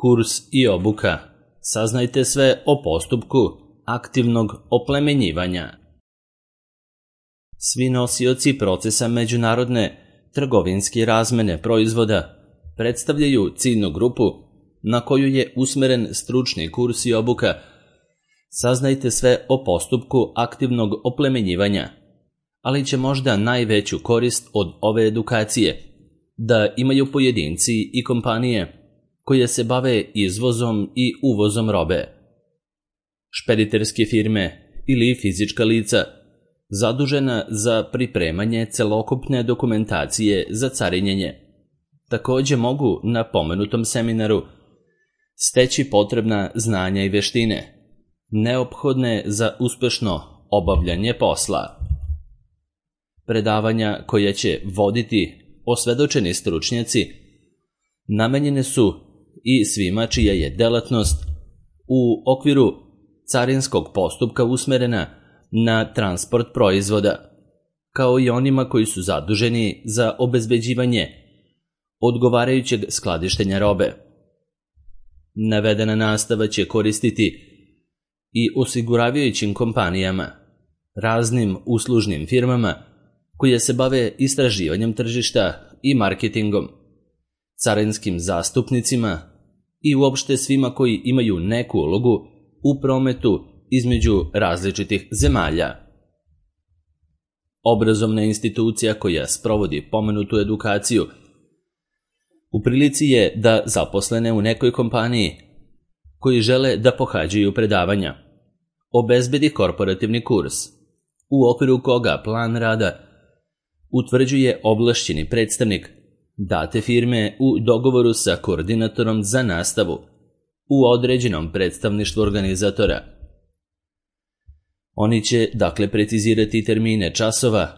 Kurs i obuka. Saznajte sve o postupku aktivnog oplemenjivanja. Svi nosioci procesa međunarodne trgovinske razmene proizvoda predstavljaju ciljnu grupu na koju je usmeren stručni kurs i obuka. Saznajte sve o postupku aktivnog oplemenjivanja, ali će možda najveću korist od ove edukacije da imaju pojedinci i kompanije koje se bave izvozom i uvozom robe. Špediterske firme ili fizička lica zadužena za pripremanje celokupne dokumentacije za carinjenje također mogu na pomenutom seminaru steći potrebna znanja i veštine neophodne za uspešno obavljanje posla. Predavanja koja će voditi osvedočeni stručnjaci namenjene su i svima čija je delatnost u okviru carinskog postupka usmerena na transport proizvoda, kao i onima koji su zaduženi za obezbeđivanje odgovarajućeg skladištenja robe. Navedena nastava će koristiti i osiguravajućim kompanijama, raznim uslužnim firmama koje se bave istraživanjem tržišta i marketingom, carinskim zastupnicima i uopšte svima koji imaju neku ulogu u prometu između različitih zemalja. Obrazovna institucija koja sprovodi pomenutu edukaciju u prilici je da zaposlene u nekoj kompaniji koji žele da pohađaju predavanja obezbedi korporativni kurs, u okviru koga plan rada utvrđuje ovlašćeni predstavnik date firme u dogovoru sa koordinatorom za nastavu u određenom predstavništvu organizatora. Oni će dakle precizirati termine časova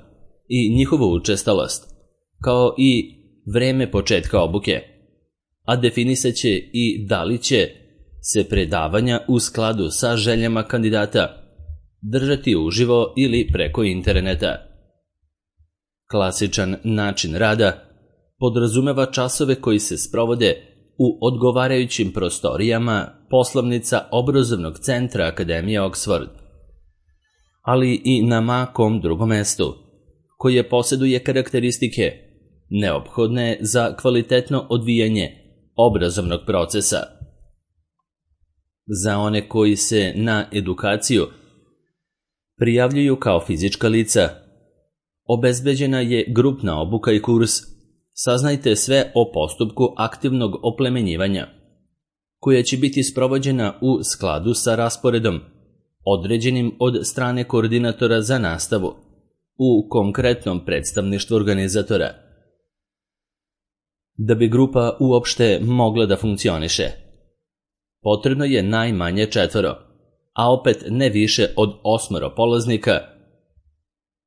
i njihovu učestalost, kao i vreme početka obuke, a definisat će i da li će se predavanja u skladu sa željama kandidata držati uživo ili preko interneta. Klasičan način rada podrazumeva časove koji se sprovode u odgovarajućim prostorijama poslovnica obrazovnog centra Akademije Oxford, ali i na makom drugom mestu, koje posjeduje karakteristike neophodne za kvalitetno odvijanje obrazovnog procesa. Za one koji se na edukaciju prijavljuju kao fizička lica, obezbeđena je grupna obuka i kurs. Saznajte sve o postupku aktivnog oplemenjivanja, koja će biti sprovođena u skladu sa rasporedom određenim od strane koordinatora za nastavu u konkretnom predstavništvu organizatora. Da bi grupa uopšte mogla da funkcioniše, potrebno je najmanje 4, a opet ne više od 8 polaznika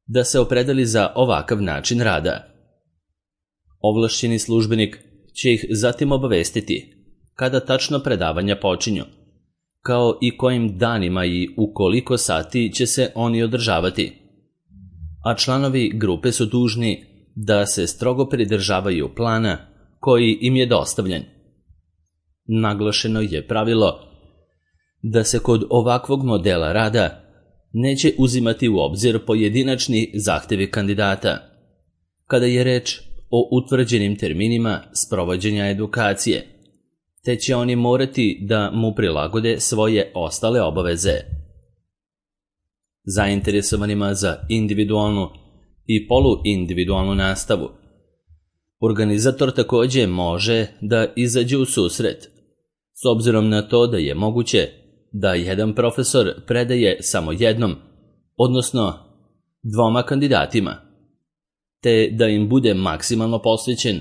da se opredeli za ovakav način rada. Ovlašćeni službenik će ih zatim obavestiti kada tačno predavanja počinju, kao i kojim danima i u koliko sati će se oni održavati, a članovi grupe su dužni da se strogo pridržavaju plana koji im je dostavljen. Naglašeno je pravilo da se kod ovakvog modela rada neće uzimati u obzir pojedinačni zahtevi kandidata, kada je reč o utvrđenim terminima sprovođenja edukacije, te će oni morati da mu prilagode svoje ostale obaveze. Zainteresovanima za individualnu i poluindividualnu nastavu, organizator također može da izađe u susret, s obzirom na to da je moguće da jedan profesor predaje samo jednom, odnosno 2 kandidatima, te da im bude maksimalno posvećen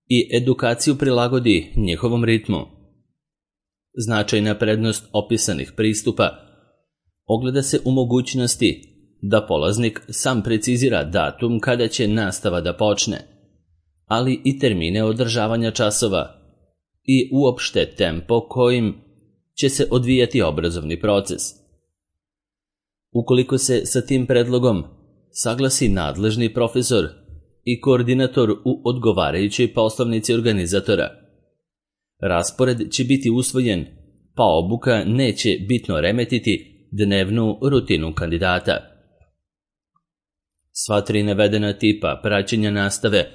i edukaciju prilagodi njihovom ritmu. Značajna prednost opisanih pristupa ogleda se u mogućnosti da polaznik sam precizira datum kada će nastava da počne, ali i termine održavanja časova i uopšte tempo kojim će se odvijati obrazovni proces. Ukoliko se sa tim predlogom saglasi nadležni profesor i koordinator u odgovarajućoj poslovnici organizatora, Raspored će biti usvojen, pa obuka neće bitno remetiti dnevnu rutinu kandidata. Sva 3 navedena tipa praćenja nastave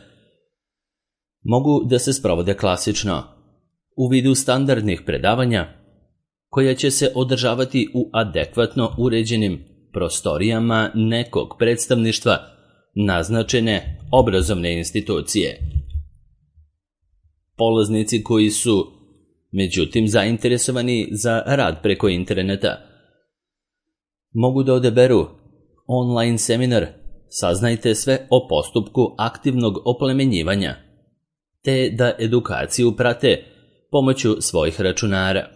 mogu da se sprovode klasično, u vidu standardnih predavanja, koja će se održavati u adekvatno uređenim prostorijama nekog predstavništva naznačene obrazovne institucije. Polaznici koji su, međutim, zainteresovani za rad preko interneta, mogu da odaberu online seminar Saznajte sve o postupku aktivnog oplemenjivanja, te da edukaciju prate pomoću svojih računara.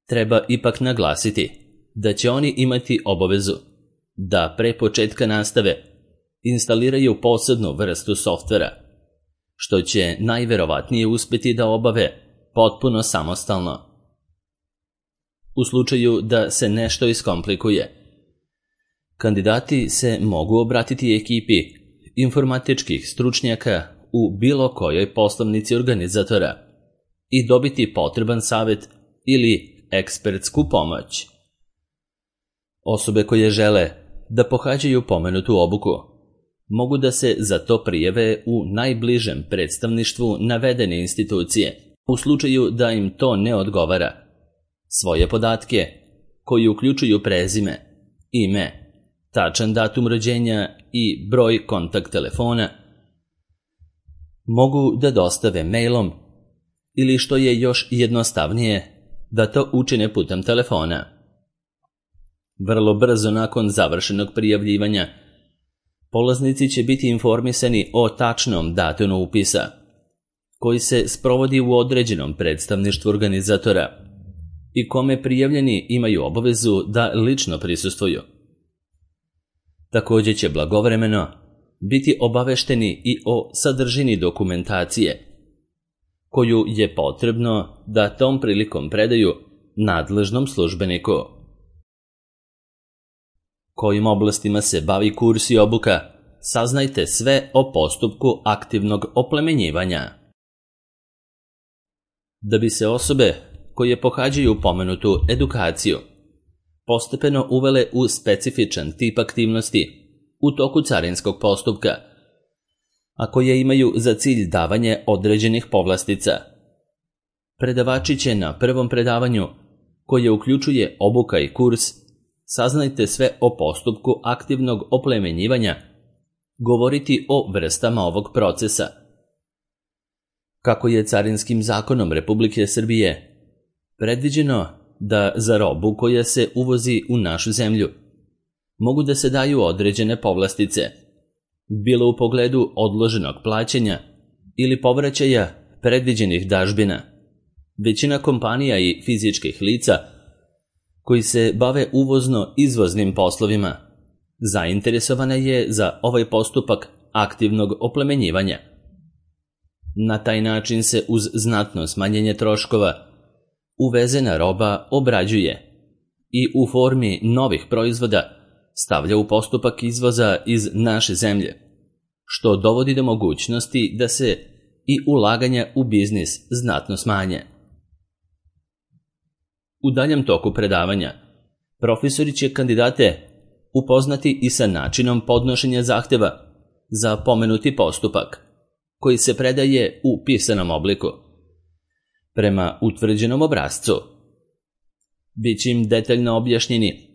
Treba ipak naglasiti da će oni imati obavezu da pre početka nastave instaliraju posebnu vrstu softvera, što će najverovatnije uspeti da obave potpuno samostalno. U slučaju da se nešto iskomplikuje, kandidati se mogu obratiti ekipi informatičkih stručnjaka u bilo kojoj poslovnici organizatora i dobiti potreban savet ili ekspertsku pomoć. Osobe koje žele da pohađaju pomenutu obuku mogu da se za to prijave u najbližem predstavništvu navedene institucije. U slučaju da im to ne odgovara, svoje podatke, koji uključuju prezime, ime, tačan datum rođenja i broj kontakt telefona, mogu da dostave mailom ili, što je još jednostavnije, da to učine putem telefona. Vrlo brzo nakon završenog prijavljivanja, polaznici će biti informisani o tačnom datumu upisa, koji se sprovodi u određenom predstavništvu organizatora i kome prijavljeni imaju obavezu da lično prisustvuju. Također će blagovremeno biti obavešteni i o sadržini dokumentacije, koju je potrebno da tom prilikom predaju nadležnom službeniku. Kojim oblastima se bavi kurs i obuka, saznajte sve o postupku aktivnog oplemenjivanja. Da bi se osobe koje pohađaju pomenutu edukaciju postepeno uvele u specifičan tip aktivnosti u toku carinskog postupka, a koje imaju za cilj davanje određenih povlastica, predavači će na prvom predavanju, koje uključuje obuka i kurs Saznajte sve o postupku aktivnog oplemenjivanja, govoriti o vrstama ovog procesa. Kako je Carinskim zakonom Republike Srbije predviđeno da za robu koja se uvozi u našu zemlju mogu da se daju određene povlastice, bilo u pogledu odloženog plaćanja ili povraćaja predviđenih dažbina. Većina kompanija i fizičkih lica koji se bave uvozno-izvoznim poslovima zainteresovana je za ovaj postupak aktivnog oplemenjivanja. Na taj način se uz znatno smanjenje troškova uvezena roba obrađuje i u formi novih proizvoda stavlja u postupak izvoza iz naše zemlje, što dovodi do mogućnosti da se i ulaganja u biznis znatno smanje. U daljem toku predavanja, profesori će kandidate upoznati i sa načinom podnošenja zahteva za pomenuti postupak, koji se predaje u pisanom obliku, prema utvrđenom obrascu. Biće im detaljno objašnjeni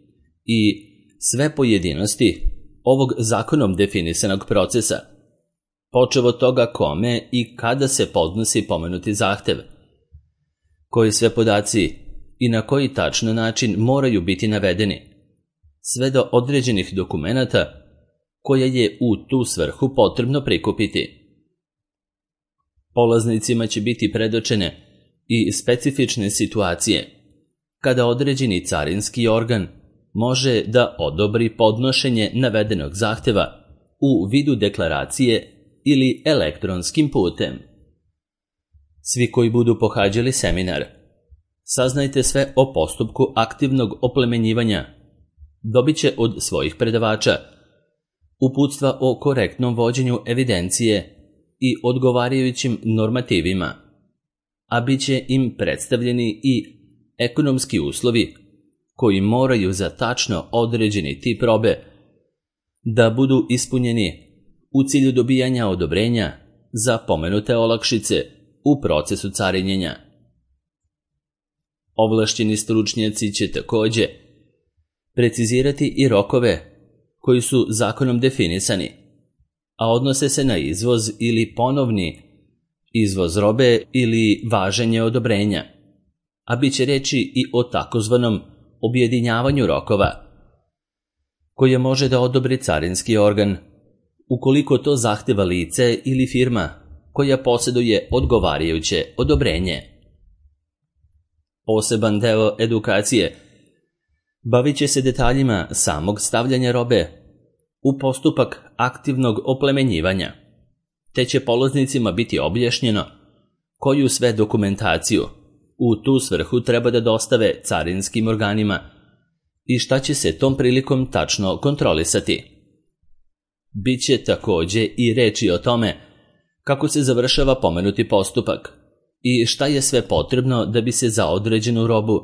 i sve pojedinosti ovog zakonom definisanog procesa, počev od toga kome i kada se podnosi pomenuti zahtev, koji sve podaci i na koji tačno način moraju biti navedeni, sve do određenih dokumenata koje je u tu svrhu potrebno prikupiti. Polaznicima će biti predočene i specifične situacije kada određeni carinski organ može da odobri podnošenje navedenog zahteva u vidu deklaracije ili elektronskim putem. Svi koji budu pohađali seminar Saznajte sve o postupku aktivnog oplemenjivanja dobit će od svojih predavača uputstva o korektnom vođenju evidencije i odgovarajućim normativima, a bit će im predstavljeni i ekonomski uslovi koji moraju za tačno određeni tip robe da budu ispunjeni u cilju dobijanja odobrenja za pomenute olakšice u procesu carinjenja. Ovlašćeni stručnjaci će takođe precizirati i rokove koji su zakonom definisani, a odnose se na izvoz ili ponovni izvoz robe ili važenje odobrenja, a bit će reči i o takozvanom objedinjavanju rokova, koje može da odobri carinski organ, ukoliko to zahteva lice ili firma koja posjeduje odgovarajuće odobrenje. Poseban deo edukacije bavit će se detaljima samog stavljanja robe u postupak aktivnog oplemenjivanja, te će polaznicima biti objašnjeno koju sve dokumentaciju u tu svrhu treba da dostave carinskim organima i šta će se tom prilikom tačno kontrolisati. Biće takođe i reči o tome kako se završava pomenuti postupak i šta je sve potrebno da bi se za određenu robu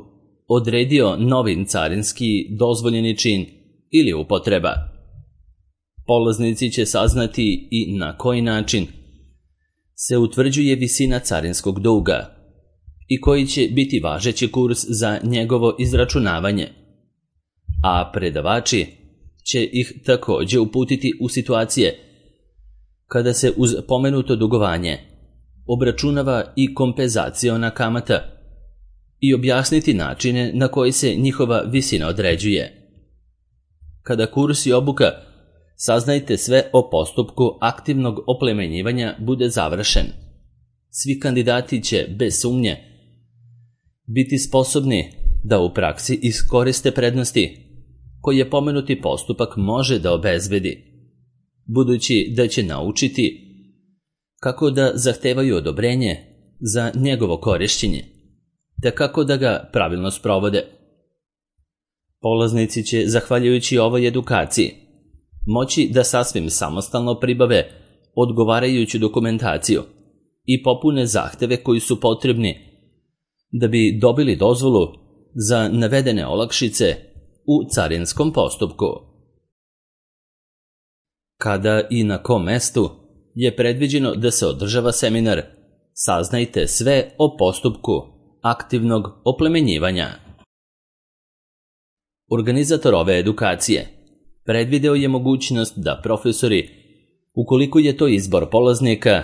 odredio novi carinski dozvoljeni čin ili upotreba. Polaznici će saznati i na koji način se utvrđuje visina carinskog duga i koji će biti važeći kurs za njegovo izračunavanje, a predavači će ih takođe uputiti u situacije kada se uz pomenuto dugovanje obračunava i kompenzaciona kamata i objasniti načine na koji se njihova visina određuje. Kada kurs i obuka, saznajte sve o postupku aktivnog oplemenjivanja bude završen. Svi kandidati će, bez sumnje, biti sposobni da u praksi iskoriste prednosti koje pomenuti postupak može da obezbedi, budući da će naučiti kako da zahtevaju odobrenje za njegovo korišćenje, te kako da ga pravilno sprovode. Polaznici će, zahvaljujući ovoj edukaciji, moći da sasvim samostalno pribave odgovarajuću dokumentaciju i popune zahteve koji su potrebni da bi dobili dozvolu za navedene olakšice u carinskom postupku. Kada i na kom mestu je predviđeno da se održava seminar, saznajte sve o postupku aktivnog oplemenjivanja. Organizator ove edukacije predvideo je mogućnost da profesori, ukoliko je to izbor polaznika,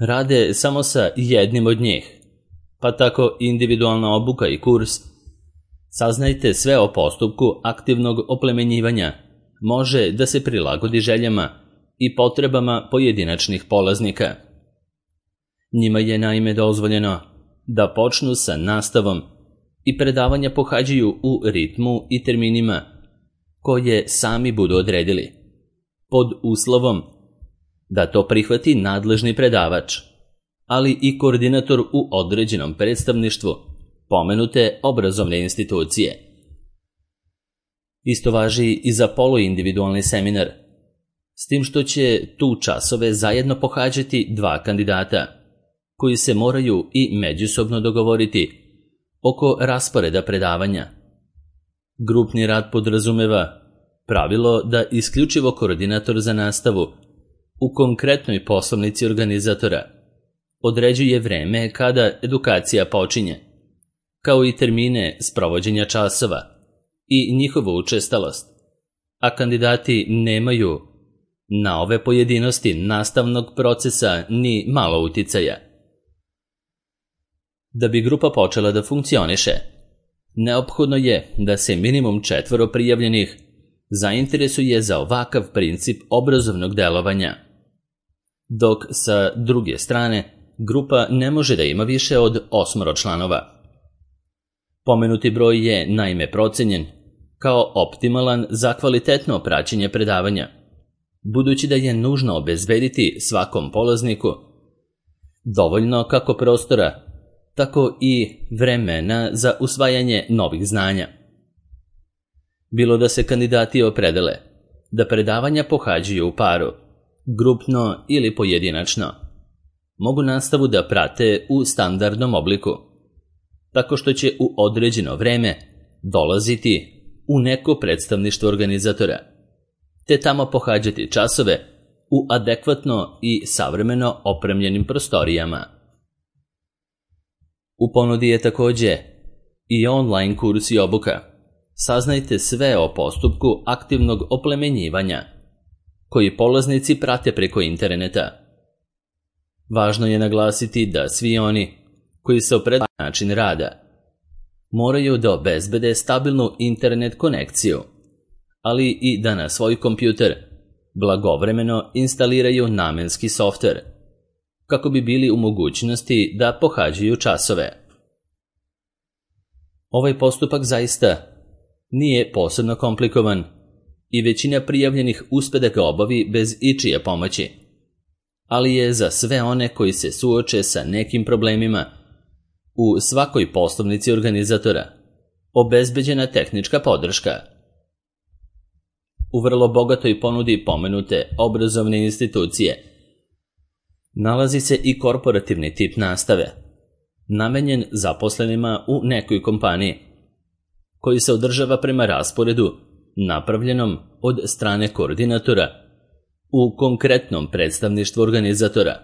rade samo sa jednim od njih, pa tako individualna obuka i kurs. Saznajte sve o postupku aktivnog oplemenjivanja može da se prilagodi željama i potrebama pojedinačnih polaznika. Njima je naime dozvoljeno da počnu sa nastavom i predavanja pohađaju u ritmu i terminima koje sami budu odredili, pod uslovom da to prihvati nadležni predavač, ali i koordinator u određenom predstavništvu pomenute obrazovne institucije. Isto važi i za poluindividualni seminar, s tim što će tu časove zajedno pohađati dva kandidata, koji se moraju i međusobno dogovoriti oko rasporeda predavanja. Grupni rad podrazumeva pravilo da isključivo koordinator za nastavu u konkretnoj poslovnici organizatora određuje vreme kada edukacija počinje, kao i termine sprovođenja časova i njihovu učestalost, a kandidati nemaju na ove pojedinosti nastavnog procesa ni malo uticaja. Da bi grupa počela da funkcioniše, neophodno je da se minimum 4 prijavljenih zainteresuje za ovakav princip obrazovnog delovanja, dok sa druge strane grupa ne može da ima više od 8 članova. Pomenuti broj je naime procenjen kao optimalan za kvalitetno praćenje predavanja, budući da je nužno obezbediti svakom polazniku dovoljno kako prostora, tako i vremena za usvajanje novih znanja. Bilo da se kandidati opredele da predavanja pohađaju u paru, grupno ili pojedinačno, mogu nastavu da prate u standardnom obliku, tako što će u određeno vreme dolaziti u neko predstavništvo organizatora, te tamo pohađati časove u adekvatno i savremeno opremljenim prostorijama. U ponudi je takođe i online kurs i obuka. Saznajte sve o postupku aktivnog oplemenjivanja, koji polaznici prate preko interneta. Važno je naglasiti da svi oni koji se opredeljuju na način rada moraju da obezbede stabilnu internet konekciju, ali i da na svoj kompjuter blagovremeno instaliraju namenski softver, kako bi bili u mogućnosti da pohađaju časove. Ovaj postupak zaista nije posebno komplikovan i većina prijavljenih uspe da ga obavi bez ičije pomoći, ali je za sve one koji se suoče sa nekim problemima u svakoj poslovnici organizatora obezbeđena tehnička podrška. U vrlo bogatoj ponudi pomenute obrazovne institucije nalazi se i korporativni tip nastave, namenjen zaposlenima u nekoj kompaniji, koji se održava prema rasporedu napravljenom od strane koordinatora u konkretnom predstavništvu organizatora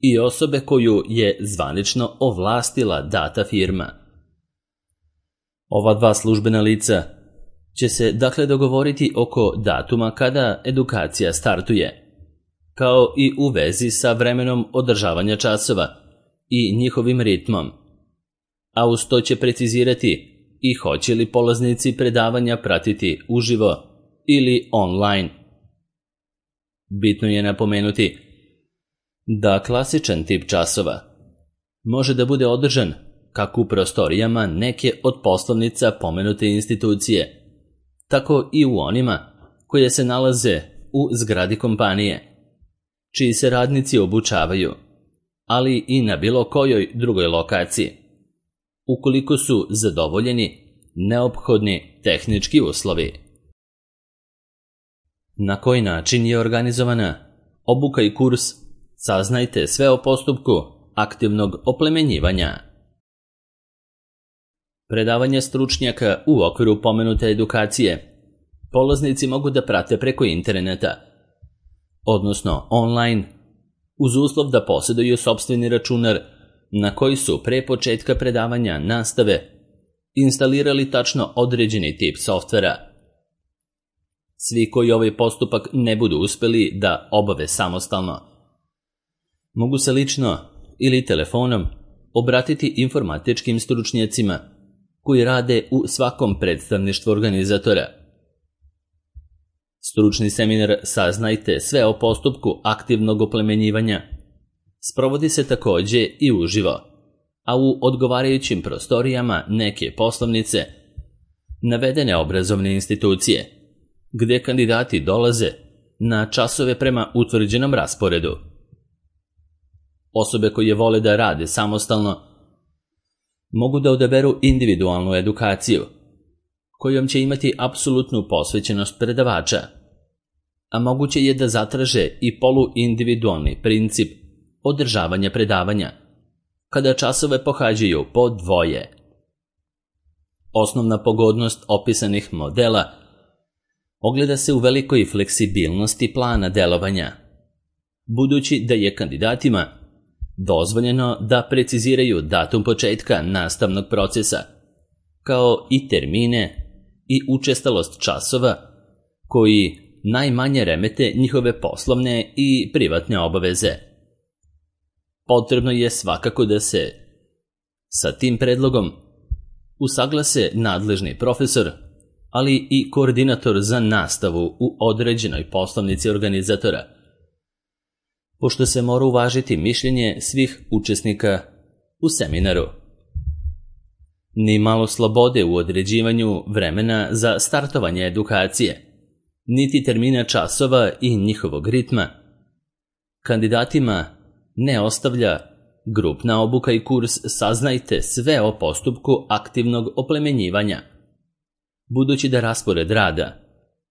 i osobe koju je zvanično ovlastila data firma. Ova dva službena lica će se dakle dogovoriti oko datuma kada edukacija startuje, kao i u vezi sa vremenom održavanja časova i njihovim ritmom, a uz to će precizirati i hoće li polaznici predavanja pratiti uživo ili online. Bitno je napomenuti da klasičan tip časova može da bude održan kako u prostorijama neke od poslovnica pomenute institucije, tako i u onima koje se nalaze u zgradi kompanije, čiji se radnici obučavaju, ali i na bilo kojoj drugoj lokaciji, ukoliko su zadovoljeni neophodni tehnički uslovi. Na koji način je organizovana obuka i kurs? Saznajte sve o postupku aktivnog oplemenjivanja. Predavanje stručnjaka u okviru pomenute edukacije polaznici mogu da prate preko interneta, odnosno online, uz uslov da posjeduju sopstveni računar na koji su pre početka predavanja nastave instalirali tačno određeni tip softvera. Svi koji ovaj postupak ne budu uspeli da obave samostalno, mogu se lično ili telefonom obratiti informatičkim stručnjacima koji rade u svakom predstavništvu organizatora. Stručni seminar Saznajte sve o postupku aktivnog oplemenjivanja sprovodi se takođe i uživo, a u odgovarajućim prostorijama neke poslovnice navedene obrazovne institucije, gde kandidati dolaze na časove prema utvrđenom rasporedu. Osobe koje vole da rade samostalno mogu da odaberu individualnu edukaciju, kojom će imati apsolutnu posvećenost predavača, a moguće je da zatraže i poluindividualni princip održavanja predavanja, kada časove pohađaju po dvoje. Osnovna pogodnost opisanih modela ogleda se u velikoj fleksibilnosti plana delovanja, budući da je kandidatima dozvoljeno da preciziraju datum početka nastavnog procesa, kao i termine i učestalost časova koji najmanje remete njihove poslovne i privatne obaveze. Potrebno je svakako da se sa tim predlogom usaglase nadležni profesor, ali i koordinator za nastavu u određenoj poslovnici organizatora, pošto se mora uvažiti mišljenje svih učesnika u seminaru. Ni malo slobode u određivanju vremena za startovanje edukacije, niti termina časova i njihovog ritma kandidatima ne ostavlja grupna obuka i kurs Saznajte sve o postupku aktivnog oplemenjivanja, budući da raspored rada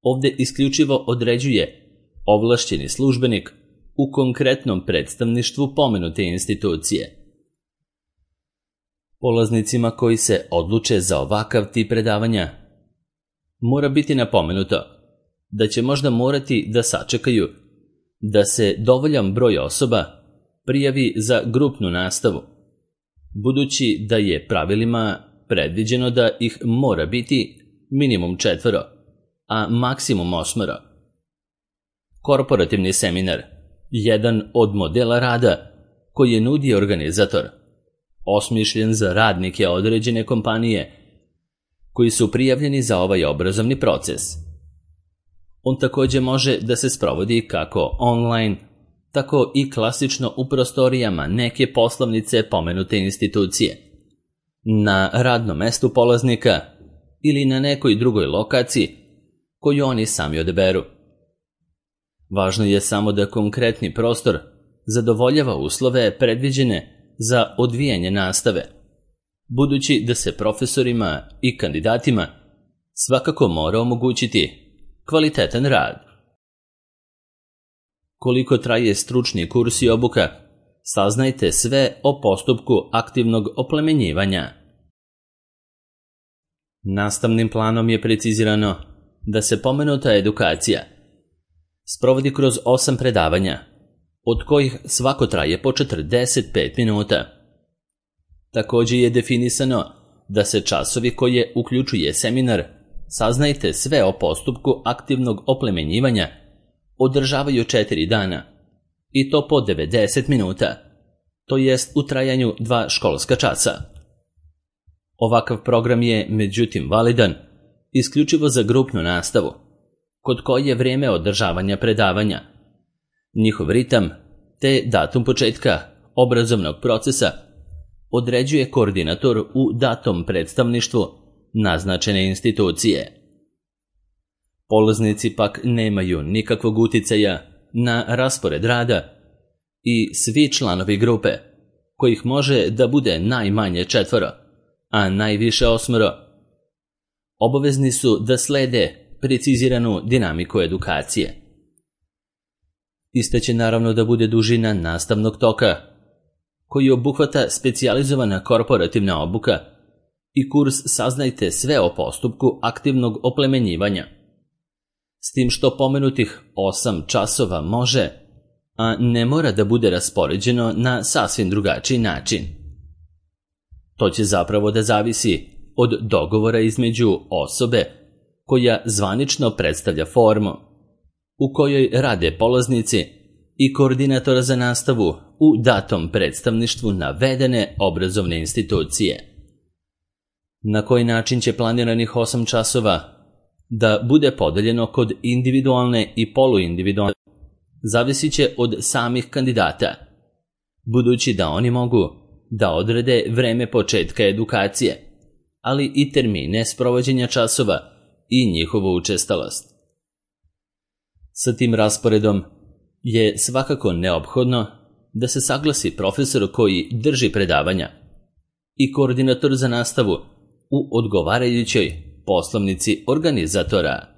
ovde isključivo određuje ovlašćeni službenik u konkretnom predstavništvu pomenute institucije. Polaznicima koji se odluče za ovakav tip predavanja mora biti napomenuto da će možda morati da sačekaju da se dovoljan broj osoba prijavi za grupnu nastavu, budući da je pravilima predviđeno da ih mora biti minimum 4, a maksimum 8. Korporativni seminar, jedan od modela rada koji je nudi organizator, osmišljen za radnike određene kompanije koji su prijavljeni za ovaj obrazovni proces. On također može da se sprovodi kako online, tako i klasično u prostorijama neke poslovnice pomenute institucije, na radnom mestu polaznika ili na nekoj drugoj lokaciji koju oni sami odaberu. Važno je samo da konkretni prostor zadovoljava uslove predviđene za odvijanje nastave, budući da se profesorima i kandidatima svakako mora omogućiti kvalitetan rad. Koliko traje stručni kurs i obuka, saznajte sve o postupku aktivnog oplemenjivanja. Nastavnim planom je precizirano da se pomenuta edukacija sprovodi kroz 8 predavanja, od kojih svako traje po 45 minuta. Također je definisano da se časovi koje uključuje seminar Saznajte sve o postupku aktivnog oplemenjivanja održavaju 4 dana, i to po 90 minuta, to jest u trajanju 2 školska časa. Ovakav program je, međutim, validan isključivo za grupnu nastavu, kod koje je vrijeme održavanja predavanja, njihov ritam te datum početka obrazovnog procesa određuje koordinator u datom predstavništvu naznačene institucije. Polaznici pak nemaju nikakvog uticaja na raspored rada i svi članovi grupe, kojih može da bude najmanje 4, a najviše 8, obavezni su da slede preciziranu dinamiku edukacije. Ista će naravno da bude dužina nastavnog toka, koji obuhvata specijalizovana korporativna obuka i kurs Saznajte sve o postupku aktivnog oplemenjivanja, s tim što pomenutih 8 časova može, a ne mora da bude raspoređeno na sasvim drugačiji način. To će zapravo da zavisi od dogovora između osobe koja zvanično predstavlja formu, u kojoj rade polaznici, i koordinatora za nastavu u datom predstavništvu navedene obrazovne institucije. Na koji način će planiranih 8 časova da bude podeljeno kod individualne i poluindividualne, zavisit će od samih kandidata, budući da oni mogu da odrede vreme početka edukacije, ali i termine sprovođenja časova i njihovu učestalost. Sa tim rasporedom je svakako neophodno da se saglasi profesor koji drži predavanja i koordinator za nastavu u odgovarajućoj poslovnici organizatora.